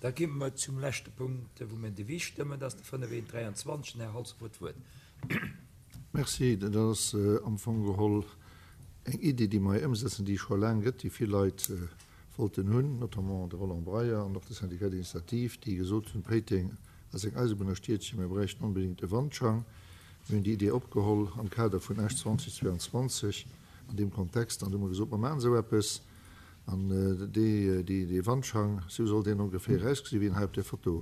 Da gi mer zum leschte Punkt, wou mir en Devis stëmmen. Dat ass de 5123. Den Här Halsdorf huet d'Wuert. Merci. Dat ass am Fong geholl eng Iddi, déi mer hei ëmsetzen, déi et scho laang gëtt, déi vill Leit wollten hunn, notamment de Roland Breyer an och de Syndicat d'initiative, déi gesot hunn, Péiteng ass eng Eisebunnerstiedchen, mir bräichten onbedéngt e Wandschang. Mir hunn déi Idee opgeholl am Kader vun Esch 2022 an deem Kontext an hu mer gesot, mer maachen esou eppes. An dee Wandschang, esou soll deen ongeféier ausgesinn, wéi een hei op där Foto,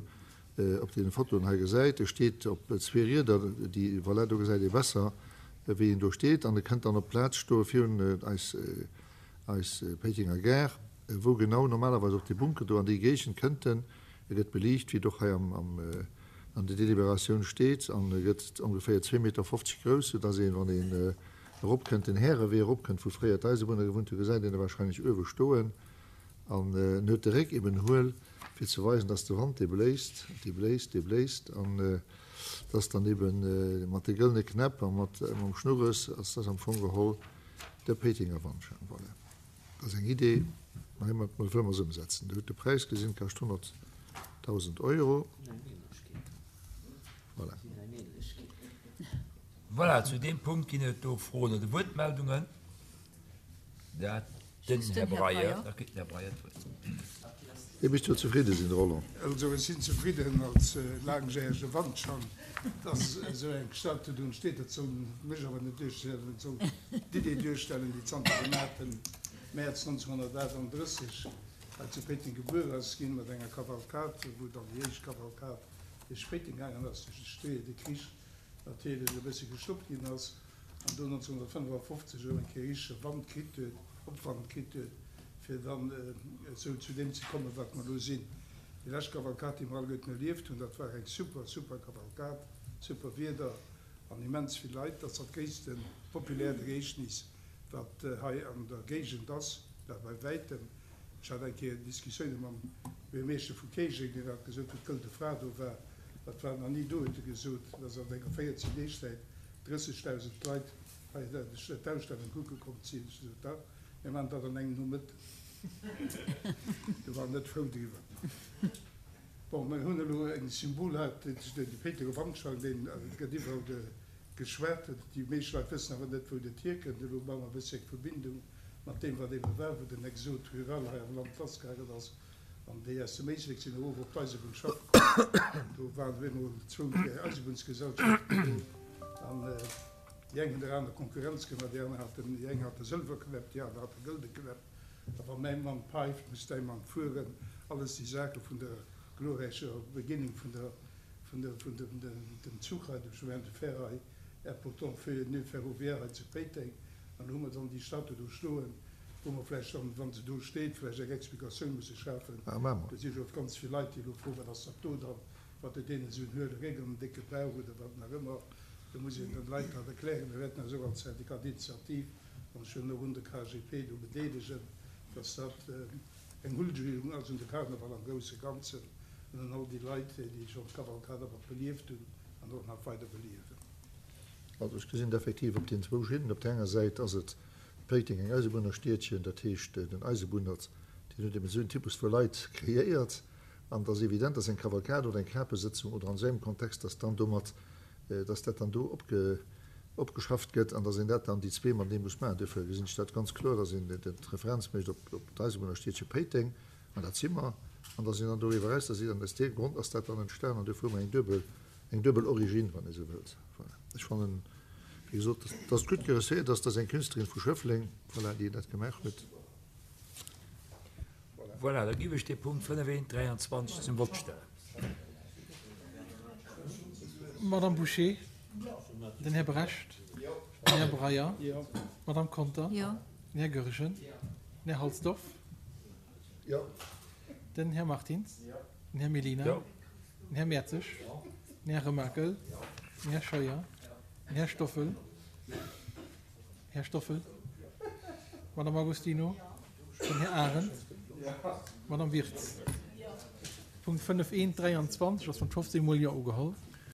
op deene Fotoen hei gesäit. E steet op zwee Rieder, déi, voilà, do gesäit ee besser, wéi en do steet. An e kënnt dann op d'Plaz stoe virun eis, eis Péitenger Gare, wou genau normalerweis och dee Bunker do an déi Géigend kënnt en. E gëtt beliicht, wéi et och hei am, am, an der Deliberatioun steet, an e gëtt ongeféier 2,50 Meter grouss, soudass een, wann een eropkënnt, den Härewee eropkënnt, wou fréier d'Eisebunner gewunnt hunn, gesäit een e wahrscheinlech uewe stoen. An en huet de Réck eben huel, fir ze weisen, dass de Wand dee bléist, dee bléist, dee bléist, an dass dann eben mat de gëllene Knäpp a mat mam Schnurres ass das am Fong geholl de Péitenger Wandschang. Voilà. Dat ass eng Idee, mä heimat wëlle mer se ëmsetzen. Dir hutt de Präis gesinn, kascht 100.000 Euro. Voilà. Voilà, zu deem Punkt ginn et do Froen oder Wuertmeldungen. Dat den Här Breyer. Da kritt den Här Breyer d'Wuert. Dir misst jo zefridde sinn, Roland. Also ech sinn zefridden als laangjärege Wandschang, dass esou eng Statue do entsteet. Dat soll mech awer net duerstellen, dat soll d'Idee duerstellen, déi zanter dem 8 Mäerz 1938 hei zu Péiteng gebuer ass ginn, mat enger Kavalkad, wou dann déi éischt Kavalkad duerch Péiteng gaangen ass, duerch de Stee, de Krich natierlech e bësse gestoppt ginn ass an do 1955 erëm eng Kéier richtege Wand kritt huet, Opwand kritt huet, fir dann esou zu deem ze kommen, wat mer elo sinn. Déi lescht Kavalkad, déi mer alleguerten erlieft hunn, dat war eng super, super Kavalkad, super Wieder an immens vill Leit. Dat ass dat gréisste populäert Ereegnis, wat hei an der Géigend ass, dat bei wäitem. Ech hat eng Kéier Diskussioune mam Buergermeeschter vu Kéijeng, deen hat gesot, wou d'Gëlde Fra do war, dat war nach ni do, huet e gesot, dass an enger 14 Deeg Zäit 30.000 Leit hei d'Ausstellung kucke komm sinn. Ech gesot, dach, mir maachen dat an engem Nomëtten. Do war en net frou driwwer. Bon, mir hunn elo eng Symbolhaart, de Péitenger Wandschrank, deen gëtt iwwerall geschwat. Déi meescht Leit wëssen awer net, wou dat hierkënnt. Elo maache mer e bëssi eng Verbindung mat deem, wat ebe war, wou den Exode rural hei am Land lassgaangen ass an déi aus dem Éislek sinn erof op d'Eisebunn schaffe komm. Do waren op eemol zwou, dräi Eisebunnsgesellschaften do an déi eng hunn der aner Konkurrenz gemaach. Déi aner haten, déi eng hate Sëlwerknäpp, déi aner hate gëlde Knäpp. A wa mäi Mann päift, muss däi Mann fueren. Alles déi Saache vun der glorräicher Beginning vun der, vun der, vun dem, dem Zuch hei, dem Chemin de fer hei, important nœud ferroviaire hei zu Péiteng. An do hu mer dann déi Statue do stoen, wou mer vläicht dann, wa se do steet, vläicht eng Explikatioun musse schafen. Do si jo ganz vill Leit, déi elo froen, Wat ass dat do dann? Wat huet deen esou en huele Réck an en décke Bauch oder wat nach ëmmer? Do muss een den Leit dat erklären. Mir wäerten eis och als Syndicat d'initiative, an ech wëll och un de KGP do bedeelegen, dass dat eng Huldigung ass un de Karneval am grousse Ganzen an un all déi Leit, déi schonn d'Kavalkad mat belieft hunn an och nach weider beliewen. Also ech gesinn et effektiv op den zwou Schinnen. Op där enger Säit ass et Péiteng, eng Eisebunnerstiedchen, dat heescht den Eisebunnert, deen huet eben esou en Typus vu Leit kreéiert. An et ass evident, dass eng Kavalkad oder eng Kapesëtzung oder an esou engem Kontext, dass dann domat, dass dat dann do opge, opgeschafft gëtt an dass een dat dann, déi zwee matenee muss maachen. Duerfir gesinn ech dat ganz kloer, dass een d'Referenz mécht op d'Eisebunnerstiedche Péiteng, an dat si mer, an dass een dann doriwwer eraus, dass een, aus deem Grond ass dat dann entstan an duerfir hu mer eng duebel, eng duebel Origine, wann ee sou wëllt. Voilà. Ech fannen, wéi gesot, dass, dass et gutt gereusséiert ass, dass eng Künstlerin vu Schëffleng, voilà, déi dat gemaach huet. Voilà, da giff ech dee Punkt 5 1 23 zum Vott stellen. Madame Bouché, den Här Brecht, den Här Breyer, d'Madame Conter, den Här Goergen, den Här Halsdorf, den Här Martins, den Här Mellina, den Här Mertzig, den Här Remakel, den Här Scheuer, den Här Stoffel, Här Stoffel, Madame Agostino, den Här Arendt, d'Madame Wirtz. Punkt 5 1 23 ass mat 15 mol Jo ugeholl.